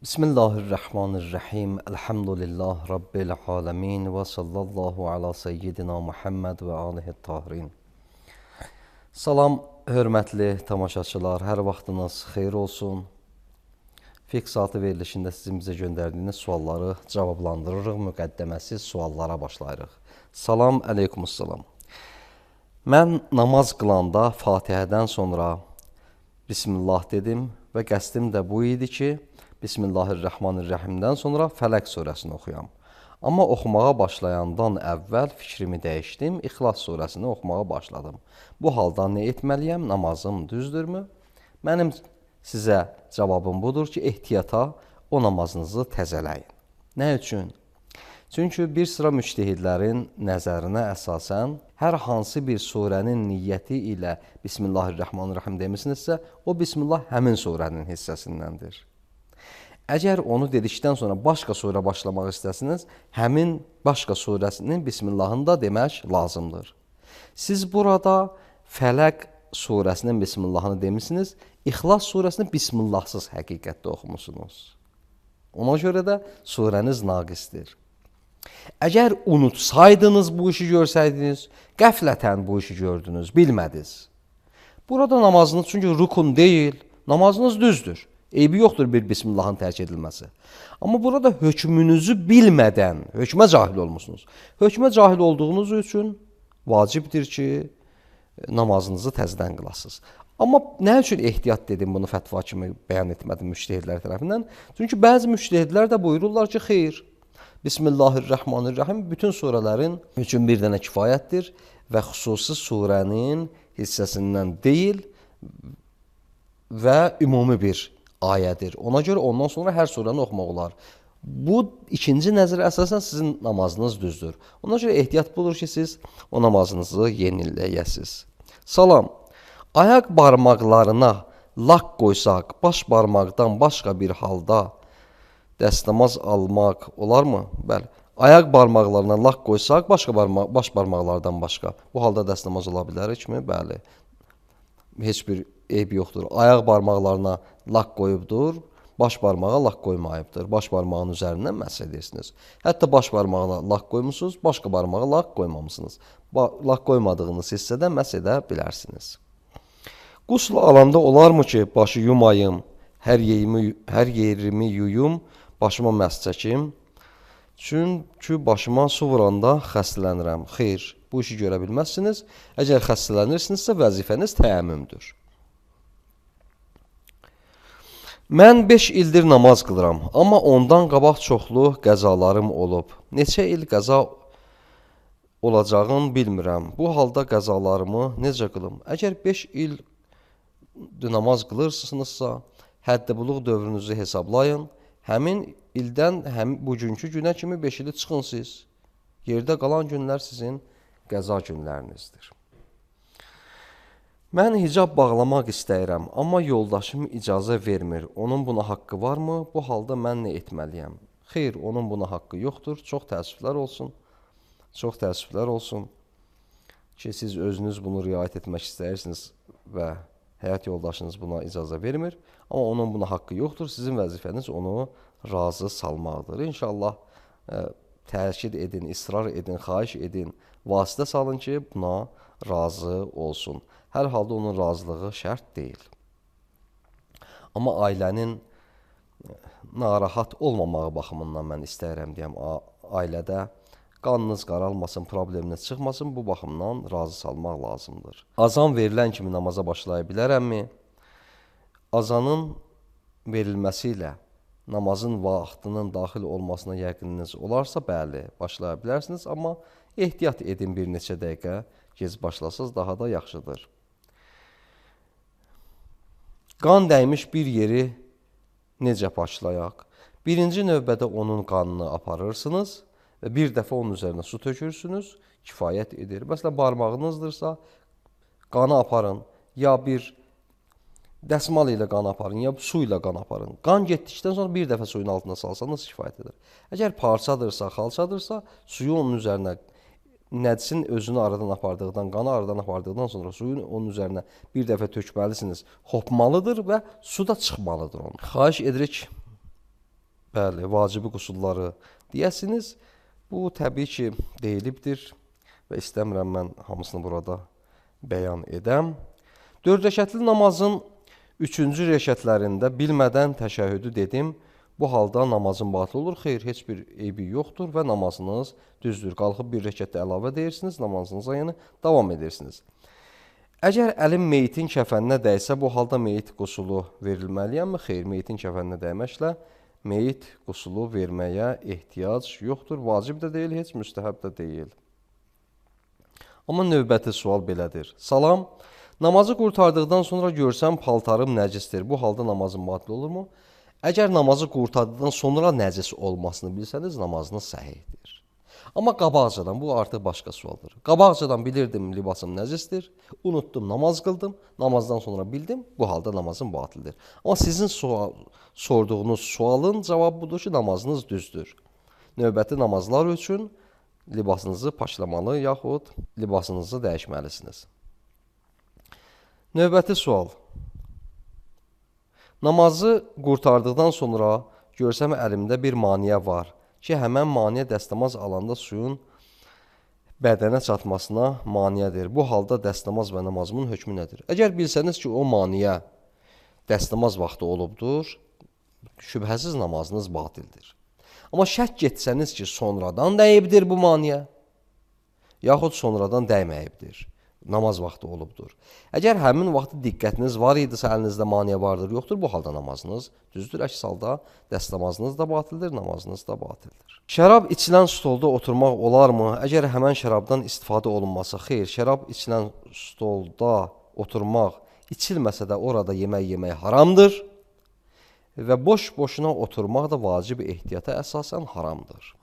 Bismillahirrahmanirrahim. Elhamdülillah Rabbil alemin və sallallahu ala seyyidina Muhammed və alihi tahirin. Salam, hörmətli tamaşaçılar, hər vaxtınız xeyir olsun. Fiqh saatı verilişində sizin bizə göndərdiyiniz sualları cavablandırırıq, müqəddəməsi suallara başlayırıq. Salam, əleykumussalam. Mən namaz qılanda Fatihədən sonra Bismillah dedim və qəsdim də bu idi ki, Bismillahirrahmanirrahimdən sonra Fələq surəsini oxuyam. Amma oxumağa başlayandan əvvəl fikrimi dəyişdim, İxlas surəsini oxumağa başladım. Bu halda nə etməliyəm? Namazım düzdürmü? Mənim sizə cavabım budur ki, ehtiyata o namazınızı təzələyin. Nə üçün? Çünki bir sıra müctehidlərin nəzərinə əsasən, hər hansı bir surənin niyyəti ilə Bismillahirrahmanirrahim demisinizsə, o Bismillah həmin surənin hissəsindəndir. Əgər onu dedikdən sonra başqa surə başlamaq istəsiniz, həmin başqa surəsinin Bismillahını da demək lazımdır. Siz burada Fələq surəsinin Bismillahını demişsiniz, İxlas surəsini Bismillahsız həqiqətdə oxumusunuz. Ona görə də surəniz naqisdir. Əgər unutsaydınız bu işi görsəydiniz, qəflətən bu işi gördünüz, bilmədiniz. Burada namazınız çünki rukun deyil, namazınız düzdür. Eybi yoxdur bir Bismillahın tərk edilməsi. Amma burada hökmünüzü bilmədən, hökmə cahil olmuşsunuz. Hökmə cahil olduğunuz üçün vacibdir ki, namazınızı təzədən qılasınız. Amma nə üçün ehtiyat dedim, bunu fətva kimi bəyan etmədim müctehidlər tərəfindən? Çünki bəzi müctehidlər də buyururlar ki, xeyr, Bismillahirrahmanirrahim bütün surələrin üçün bir dənə kifayətdir və xüsusi surənin hissəsindən deyil və ümumi bir ayədir. Ona görə ondan sonra hər surəni oxumaq olar. Bu ikinci nəzərə əsasən sizin namazınız düzdür. Ona görə ehtiyat budur ki, siz o namazınızı yeniləyəsiniz. Salam, ayaq barmaqlarına lak qoysaq, baş barmaqdan başqa bir halda dəstəmaz almaq olarmı? Bəli. Ayaq barmaqlarına lak qoysaq, baş barmaqlardan başqa. Bu halda dəstəmaz ola bilərikmi? Bəli. Heç bir eybi yoxdur. Ayaq barmaqlarına lak qoyubdur, baş barmağa lak qoymayıbdır. Baş barmağın üzərindən məhz edirsiniz. Hətta baş barmağına lak qoymusunuz, başqa barmağa lak qoymamışsınız. Lak qoymadığınız hissədən məhz edə bilərsiniz. Qusl alanda olarmı ki, başı yumayım, hər yerimi yuyum, başıma məhz çəkim? Çünki başıma su vuranda xəstələnirəm. Xeyr, bu işi görə bilməzsiniz. Əgər xəstələnirsinizsə, vəzifəniz təəmmümdür. Mən 5 ildir namaz qılıram, amma ondan qabaq çoxlu qəzalarım olub. Neçə il qəza olacağını bilmirəm. Bu halda qəzalarımı necə qılım? Əgər 5 il namaz qılırsınızsa, hədd-i-buluğ dövrünüzü hesablayın. Həmin ildən bugünkü günə kimi 5 ili çıxın siz. Yerdə qalan günlər sizin qəza günlərinizdir. Mən hicab bağlamaq istəyirəm, amma yoldaşım icazə vermir. Onun buna haqqı varmı? Bu halda mən nə etməliyəm? Xeyr, onun buna haqqı yoxdur. Çox təəssüflər olsun. Çox təəssüflər olsun ki, siz özünüz bunu riayət etmək istəyirsiniz və həyat yoldaşınız buna icazə vermir. Amma onun buna haqqı yoxdur. Sizin vəzifəniz onu razı salmaqdır. İnşallah təkid edin, israr edin, xahiş edin, vasitə salın ki, buna razı olsun. Hər halda onun razılığı şərt deyil. Amma ailənin narahat olmamağı baxımından mən istəyirəm deyəm, ailədə qanınız qaralmasın, probleminiz çıxmasın, bu baxımdan razı salmaq lazımdır. Azan verilən kimi namaza başlaya bilərəmmi? Azanın verilməsi ilə namazın vaxtının daxil olmasına yəqininiz olarsa, bəli, başlaya bilərsiniz, amma ehtiyat edin bir neçə dəqiqə, gec başlasınız, daha da yaxşıdır. Qan dəymiş bir yeri necə başlayaq? Birinci növbədə onun qanını aparırsınız və bir dəfə onun üzərinə su tökürsünüz, kifayət edir. Məsələn, barmağınızdırsa, qanı aparın, ya bir dəsmal ilə qan aparın, ya su ilə qan aparın. Qan getdikdən sonra bir dəfə suyun altına salsanız kifayət edir. Əgər parçadırsa, xalçadırsa, suyu onun üzərinə, nəcisin özünü aradan apardıqdan, qanı aradan apardıqdan sonra suyun onun üzərinə bir dəfə tökməlisiniz. Hopmalıdır və su da çıxmalıdır onun. Xahiş edirik, bəli, vacibi qusulları deyəsiniz. Bu təbii ki, deyilibdir və istəmirəm mən hamısını burada bəyan edəm. 4 rəkətli namazın 3-cü rəkətlərində bilmədən təşəhhüdü dedim. Bu halda namazın batıl olur. Xeyr, heç bir eybi yoxdur və namazınız düzdür. Qalxıb bir rəkətdə əlavə deyirsiniz, namazınıza yəni davam edirsiniz. Əgər əlim meyitin kəfəninə dəysə, bu halda meyit qusulu verilməliyəmmi? Xeyr, meyitin kəfəninə dəyməklə meyit qusulu verməyə ehtiyac yoxdur. Vacib də deyil, heç müstəhəb də deyil. Amma növbəti sual belədir. Salam, namazı qurtardıqdan sonra görsəm paltarım nəcisdir. Bu halda namazın batıl olurmu? Əgər namazı qurtardıqdan sonra nəcis olmasını bilsəniz, namazınız səhihdir. Amma qabaqcadan, bu artıq başqa sualdır. Qabaqcadan bilirdim libasım nəcisdir, unutdum, namaz qıldım, namazdan sonra bildim, bu halda namazım batıldır. Amma sizin sorduğunuz sualın cavabı budur ki, namazınız düzdür. Növbəti namazlar üçün libasınızı paşlamalı yaxud libasınızı dəyişməlisiniz. Növbəti sual. Namazı qurtardıqdan sonra görsəm əlimdə bir maniyə var ki, həmən maniyə dəstəmaz alanda suyun bədənə çatmasına maniyədir. Bu halda dəstəmaz və namazımın hökmü nədir? Əgər bilsəniz ki, o maniyə dəstəmaz vaxtı olubdur, şübhəsiz namazınız batildir. Amma şək getsəniz ki, sonradan dəyibdir bu maniyə, yaxud sonradan dəyməyibdir. Namaz vaxtı olubdur. Əgər həmin vaxtı diqqətiniz var idisə, əlinizdə maniyə vardır, yoxdur, bu halda namazınız düzdür. Əks halda dəstəmazınız da batildir, namazınız da batildir. Şərab içilən stolda oturmaq olarmı? Əgər həmən şərabdan istifadə olunmasa, xeyr, şərab içilən stolda oturmaq içilməsə də orada yemək haramdır və boş-boşuna oturmaq da vacib ehtiyata əsasən haramdır.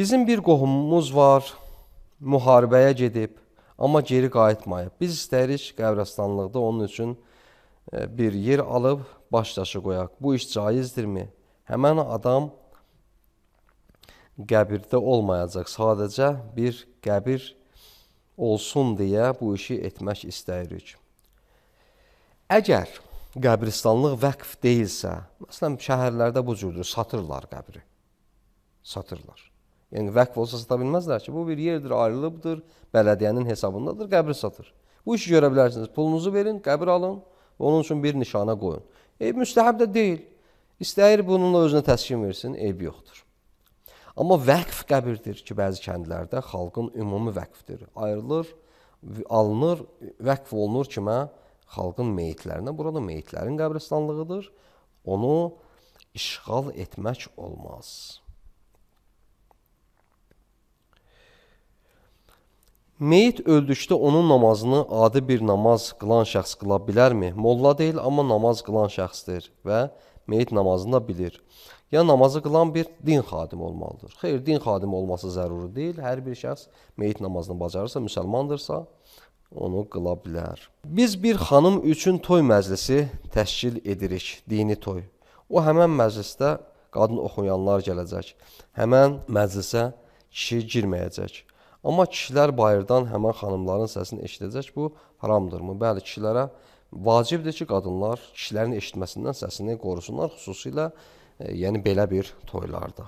Bizim bir qohumumuz var, müharibəyə gedib, amma geri qayıtmayıb. Biz istəyirik qəbirstanlıqda onun üçün bir yer alıb baş daşı qoyaq. Bu iş caizdirmi? Həmən adam qəbirdə olmayacaq, sadəcə bir qəbir olsun deyə bu işi etmək istəyirik. Əgər qəbirstanlıq vəqf deyilsə, məsələn, şəhərlərdə bu cürdür, satırlar qəbri, satırlar. Yəni, vəqf olsa sata bilməzlər ki, bu bir yerdir, ayrılıbdır, bələdiyyənin hesabındadır, qəbri satır. Bu işi görə bilərsiniz, pulunuzu verin, qəbir alın, onun üçün bir nişana qoyun. Müstəhəb də deyil, istəyir bununla özünə təskin versin, eybi yoxdur. Amma vəqf qəbirdir ki, bəzi kəndlərdə xalqın ümumi vəqfdir, ayrılır, alınır, vəqf olunur kimə? Xalqın meyitlərinə, burada meyitlərin qəbristanlığıdır, onu işğal etmək olmaz. Meyit öldükdə onun namazını adi bir namaz qılan şəxs qıla bilərmi? Molla deyil, amma namaz qılan şəxsdir və meyit namazını da bilir. Ya namazı qılan bir din xadimi olmalıdır. Xeyr, din xadimi olması zəruri deyil. Hər bir şəxs meyit namazını bacarırsa, müsəlmandırsa, onu qıla bilər. Biz bir xanım üçün toy məclisi təşkil edirik, dini toy. O həmən məclisdə qadın oxuyanlar gələcək. Həmən məclisə kişi girməyəcək. Amma kişilər bayırdan həmən xanımların səsini eşidəcək, bu haramdırmı? Bəli, kişilərə vacibdir ki, qadınlar kişilərin eşitməsindən səsini qorusunlar, xüsusilə yəni belə bir toylarda.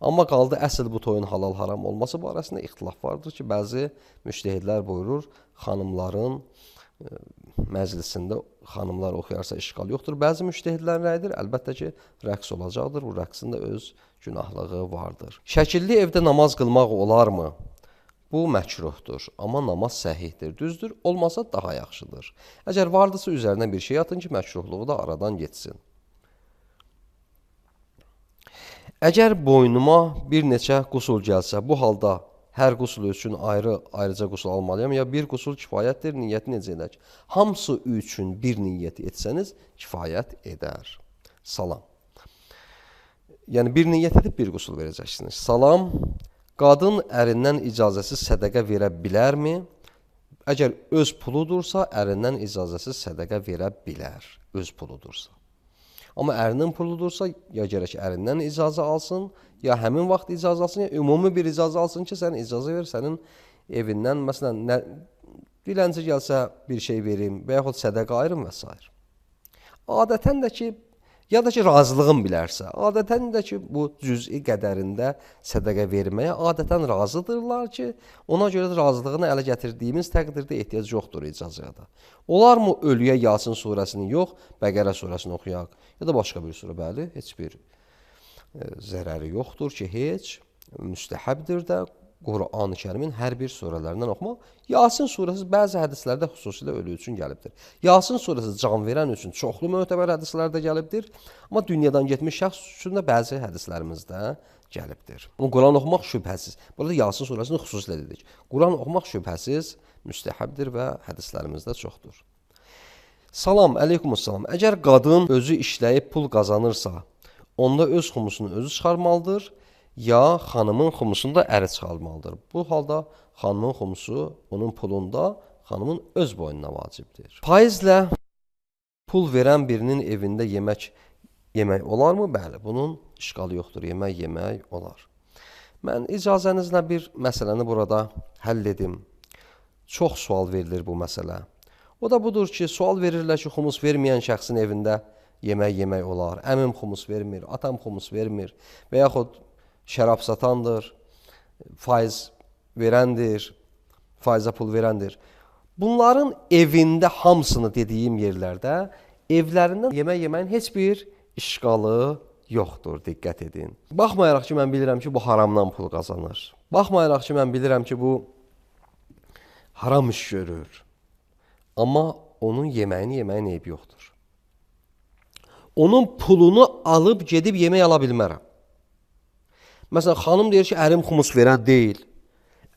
Amma qaldı əsl bu toyun halal haram olması barəsində ixtilaf vardır ki, bəzi müştəhidlər buyurur, xanımların məclisində xanımlar oxuyarsa işğal yoxdur. Bəzi müştəhidlərin rəyidir, əlbəttə ki, rəqs olacaqdır, bu rəqsin də öz günahlığı vardır. Şəkilli evdə namaz qılmaq olarmı? Bu məkruhdur, amma namaz səhihdir, düzdür, olmasa daha yaxşıdır. Əgər vardırsa üzərinə bir şey atın ki, məkruhluğu da aradan getsin. Əgər boynuma bir neçə qusul gəlsə, bu halda hər qusul üçün ayrıca qusul almalıyam, ya bir qusul kifayətdir, niyyəti necə edək? Hamısı üçün bir niyyət etsəniz, kifayət edər. Salam. Yəni, bir niyyət edib bir qusul verəcəksiniz. Salam, qadın ərindən icazəsiz sədəqə verə bilərmi? Əgər öz puludursa, ərindən icazəsiz sədəqə verə bilər, öz puludursa. Amma ərinin puludursa, ya gərək ərindən icazə alsın, ya həmin vaxt icazə alsın, ya ümumi bir icazə alsın ki, sən icazə ver, sənin evindən, məsələn, dilənci gəlsə bir şey verim və yaxud sədəqə ayırım və s. Adətən də ki, ya da ki, razılığın bilərsə, adətən də ki, bu cüz'i qədərində sədəqə verməyə adətən razıdırlar ki, ona görə də razılığını ələ gətirdiyimiz təqdirdə ehtiyac yoxdur icazəyə da. Olarmı ölüyə Yasin surəsini yox, Bəqərə surəsini oxuyaq, ya da başqa bir surə, bəli, heç bir zərəri yoxdur ki, heç müstəhəbdir də Qur'an-ı Kərimin hər bir surələrindən oxumaq. Yasin surəsi bəzi hədislərdə xüsusilə ölü üçün gəlibdir. Yasin surəsi can verən üçün çoxlu mötəbər hədislərdə gəlibdir. Amma dünyadan getmiş şəxs üçün də bəzi hədislərimizdə gəlibdir. Quran oxumaq şübhəsiz. Burada Yasin surəsini xüsusilə dedik. Quran oxumaq şübhəsiz müstəhəbdir və hədislərimizdə çoxdur. Salam, əleykumussalam. Əgər qadın özü işləyib pul qazanırsa, onda öz xumusunu özü çıxarmalıdır, ya xanımın xumusunu da əri çıxarmalıdır. Bu halda xanımın xumusu onun pulunda xanımın öz boynuna vacibdir. Faizlə pul verən birinin evində yemək olarmı? Bəli, bunun işqalı yoxdur. Yemək olar. Mən icazənizlə bir məsələni burada həll edim. Çox sual verilir bu məsələ. O da budur ki, sual verirlər ki, xumus verməyən şəxsin evində yemək olar. Əmim xumus vermir, atam xumus vermir və yaxud şərab satandır, faiz verəndir, faizə pul verəndir. Bunların evində hamısını dediyim yerlərdə evlərindən yeməyin heç bir işqalı yoxdur, diqqət edin. Baxmayaraq ki, mən bilirəm ki, bu haramdan pul qazanır. Baxmayaraq ki, mən bilirəm ki, bu haram iş görür. Amma onun yeməyini eybi yoxdur. Onun pulunu alıb gedib yemək ala bilmərəm. Məsələn, xanım deyir ki, ərim xumus verən deyil,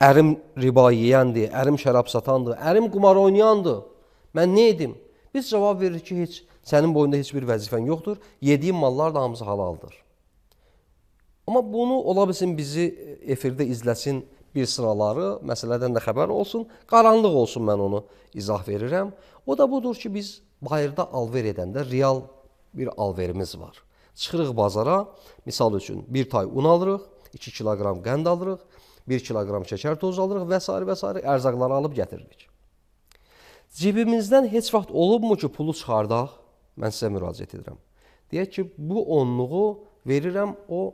ərim riba yeyəndir, ərim şərab satandır, ərim qumar oynayandır. Mən nə edim? Biz cavab veririk ki, heç sənin boyunda heç bir vəzifən yoxdur, yediyin mallar da hamısı halaldır. Amma bunu ola bilsin bizi efirdə izləsin bir sıraları, məsələdən də xəbər olsun, qaranlıq olsun, mən onu izah verirəm. O da budur ki, biz bayırda alver edəndə real bir alverimiz var. Çıxırıq bazara, misal üçün 1 tay un alırıq, 2 kiloqram qənd alırıq, 1 kiloqram şəkər tozu alırıq və s. ərzaqları alıb gətiririk. Cibimizdən heç vaxt olubmu ki, pulu çıxardaq? Mən sizə müraciət edirəm. Deyək ki, bu onluğu verirəm o,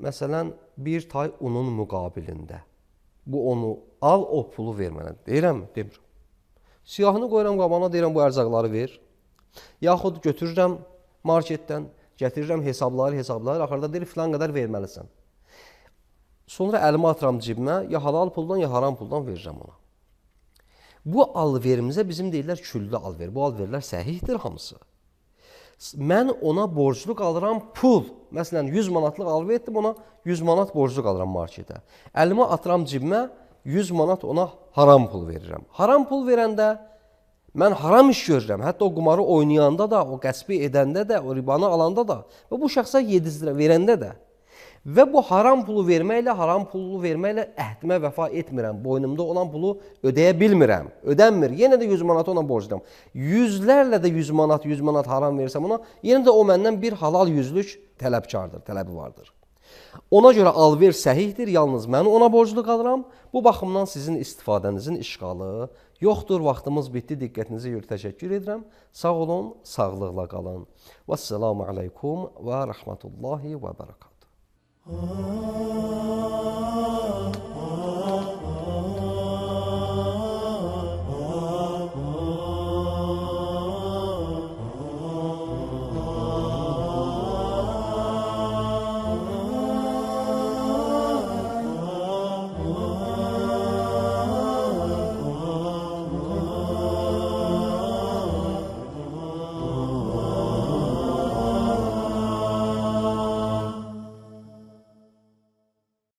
məsələn, 1 tay unun müqabilində. Bu onu al, o pulu ver mənə. Deyirəm mi? Demirəm. Siyahını qoyuram qabana, deyirəm bu ərzaqları ver. Yaxud götürürəm marketdən, gətirirəm hesabları, axırda deyir, filan qədər verməlisən. Sonra əlimi atıram cibimə, ya halal puldan, ya haram puldan verirəm ona. Bu alverimizə bizim deyirlər küllü alver. Bu alverlər səhihdir hamısı. Mən ona borcluq alıram pul. Məsələn, 100 manatlıq alver etdim, ona 100 manat borcluq alıram marketə. Əlimi atıram cibimə, 100 manat ona haram pul verirəm. Haram pul verəndə mən haram iş görürəm. Hətta o qumarı oynayanda da, o qəsbi edəndə də, o ribanı alanda da və bu şəxsə 700 lira verəndə də. Və bu haram pulu verməklə əhdimə vəfa etmirəm. Boynumda olan pulu ödəyə bilmirəm. Ödənmir. Yenə də 100 manat ona borcluyam. Yüzlərlə də 100 manat haram versəm ona, yenə də o məndən bir halal yüzlük tələbi vardır. Ona görə alver səhihdir, yalnız mən ona borclu qalıram. Bu baxımdan sizin istifadənizin işğalı yoxdur. Vaxtımız bitdi, diqqətinizi görə təşəkkür edirəm. Sağ olun, sağlıqla qalın. Vəssalamu aleykum və rəhmətullahi və bərəkatuhu.